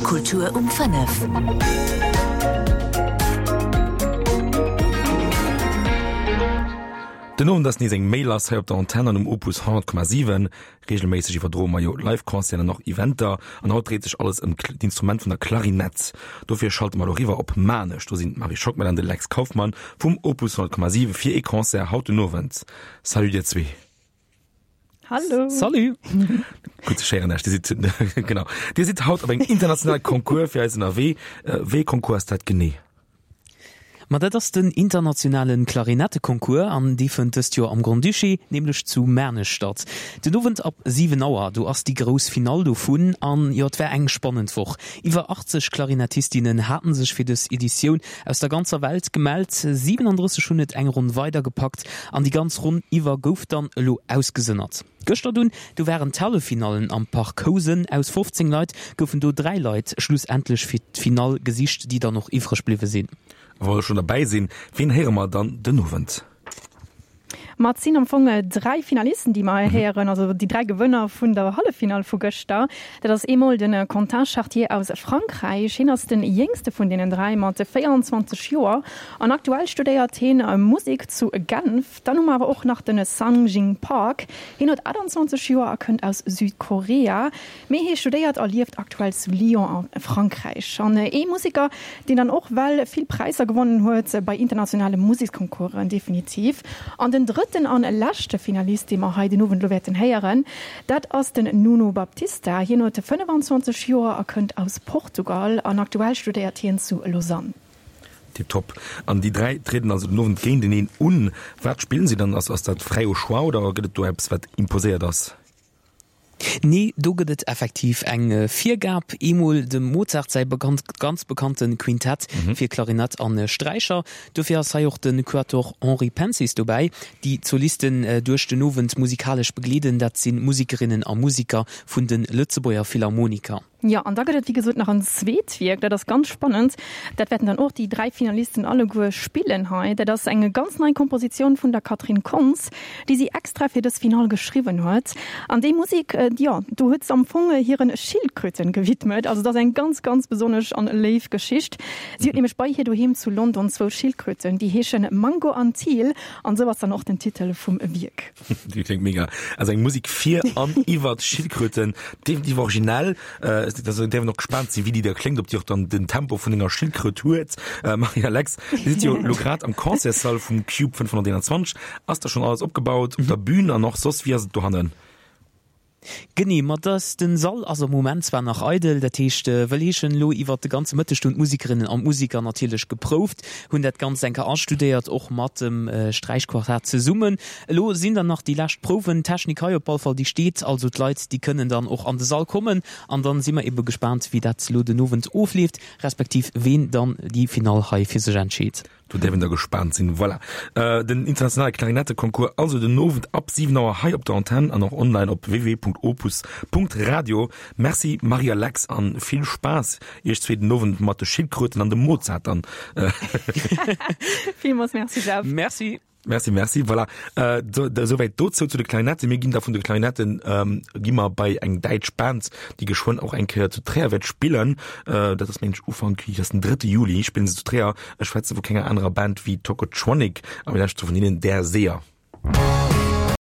Kultur um 5. Den Owend ass nees eng Méi lass hei op der Antenn an um Opus 100,7. Reegelméisseg iwwerdroe mer jo Live-Concerten an och Eventer an haut dréit sech alles ëm d'Instrument vun der Klarinett. Dofir schalte mer elo riwwer op Maarnech. Do sinn d'Marie Schockmel an de Lex Kauffmann vum Opus 100,7 fir ee Concert haut den Owend. Salut dir zwee. Hallo. Salut. Gutt ze schéieren Dir sidd genau. Dir sidd haut op engem internationale Concours fir eis ënnerwee. Äh, wéi ee Concours ass dat genee? Ma dat ass den internationale Klarinetteconcours an dee fënnt dëst Joer am Grand-Duché, nämlech zu Maarnech statt. Den Owend ab 7 Auer, do ass déi grouss Finall dovun an jo, et war eng spannend Woch. Iwwer 80 Klarinettistinnen haten sech fir dës Editioun aus der ganzer Welt gemellt, 37 hunn et eng Ronn weider gepackt an déi ganz Ronn iwwer gouf dann elo ausgesënnert. Gëschter dunn, do waren d'Halleffinallen am Parc Housen. Aus 15 Leit goufen do 3 Leit schlussendlech fir d'Finall gesicht, déi dann och iwwreg bliwwe sinn. A wa mer schonn derbäi sinn, wien héiere mer dann den Owend? Ma et sinn am Fong 3 Finalisten, déi mer hei héieren, also déi 3 Gewënner vun der Halleffinall vu gëschter. Dat ass eemol de Quentin Chartier aus Frankräich. Hien ass de jéngste vun deenen 3 mat 24 Joer an aktuell studéiert hien Musek zu Genf. Dann hu mer awer och nach de Sang-Jin Park. Hien huet 28 Joer a kënnt aus Südkorea. Mee hie studéiert a lieft aktuell zu Lyon a Frankräich. An ee Museker, deen dann och well vill Präisser gewonnen huet bei internationale Museksconcoursen, definitiv. An den drëtten an leschte Finalist, dee mer hei den Owend elo wäerten héieren, dat ass den Nuno Baptista. Hien huet 25 Joer a kënnt aus Portugal an aktuell studéiert hien zu Lausanne. Tiptop. An déi 3 trieden also den Owend géinteneen un. Wat spillen si dann? Ass dat fräi au choix oder gëtt et do eppes, wat imposéiert ass? Nee, do gëtt et effektiv eng Virgab. Eemol dem Mozart säi ganz bekannte Quintett fir Klarinett a Sträicher. Dofir ass hei och de Quatuor Henri Pensis dobäi. Déi d'Solisten duerch den Owend musikalesch begleeden, dat si Musikerinnen a Musiker vun de Lëtzebuerger Philharmoniker. Jo, an da gëtt et wéi gesot nach en zweet Wierk, dat ass ganz spannend, dat wäerten dann och déi 3 Finalisten alleguer spillen hei. Dat ass eng ganz nei Kompositioun vun der Catherine Kontz, déi si extra fir dës Finall geschriwwen huet. An déi Musek, jo, do huet s'am Fong hiren Schildkröten gewidmet. Also et ass eng ganz, ganz besonnesch an léif Geschicht. Si huet nämlech bei hir doheem zu London zwou Schildkröten, déi heeschen Mango an Teal, an esou ass dann och den Titel vum Wierk. Déi kléngt mega. Also eng Musik fir an iwwer Schildkröten, definitiv originell. Äh, also däerf een och gespaant sinn, wéi déi da kléngt, ob déi och dann den Tempo vun enger Schildkröt huet. Äh, Marie Alex, Dir sidd jo lo grad am Concertssall vum Cube 521. Ass da schonn alles opgebaut op der Bühn an och soss? Wéi ass et dohannen? Genee, ma dass den Sall ass am Moment zwar nach eidel, dat heescht, wëll heeschen, elo iwwert de ganze Mëtteg hunn d'Musikerinnen an d'Musiker natierlech geprouft, hunn dat Ganzt eng Kéier astudéiert, och mat dem Sträichquartett zesummen. Elo sinn dann nach déi lescht Prouwen, d'Technik hei op all Fall déi steet, also d'Leit déi kënnen dann och an de Sall kommen an dann si mer ebe gespaant wéi dat elo den Owend ofleeft, respektiv ween dann déi Finall hei fir sech entscheet. Do däerf een da gespaant sinn. Voilà, den internationale Klarinetteconcours also den Owend ab 7 Auer hei op der Antenn an och online op www.opus.radio. Merci Marie a Lex an vill Spaass iech zwee den Owend mat de Schildkröten an dem Mozart dann. Villmools Merci Jeff. Merci. Merci, merci. Voilà. Äh, do, do, souwäit dozou zu de Klarinetten. Mir ginn da vun de Klarinetten ähm, gi mer bei eng däitsch Band, déi geschwënn och eng Kéier zu Tréier wäert spillen. Äh, dat ass mengen ech Ufank, wéi ass den 3. Juli spillen se zu Tréier. Ech schwätze vu kenger anerer Band wéi Tocotronic a mir lauschteren vun hinnen Der Seher.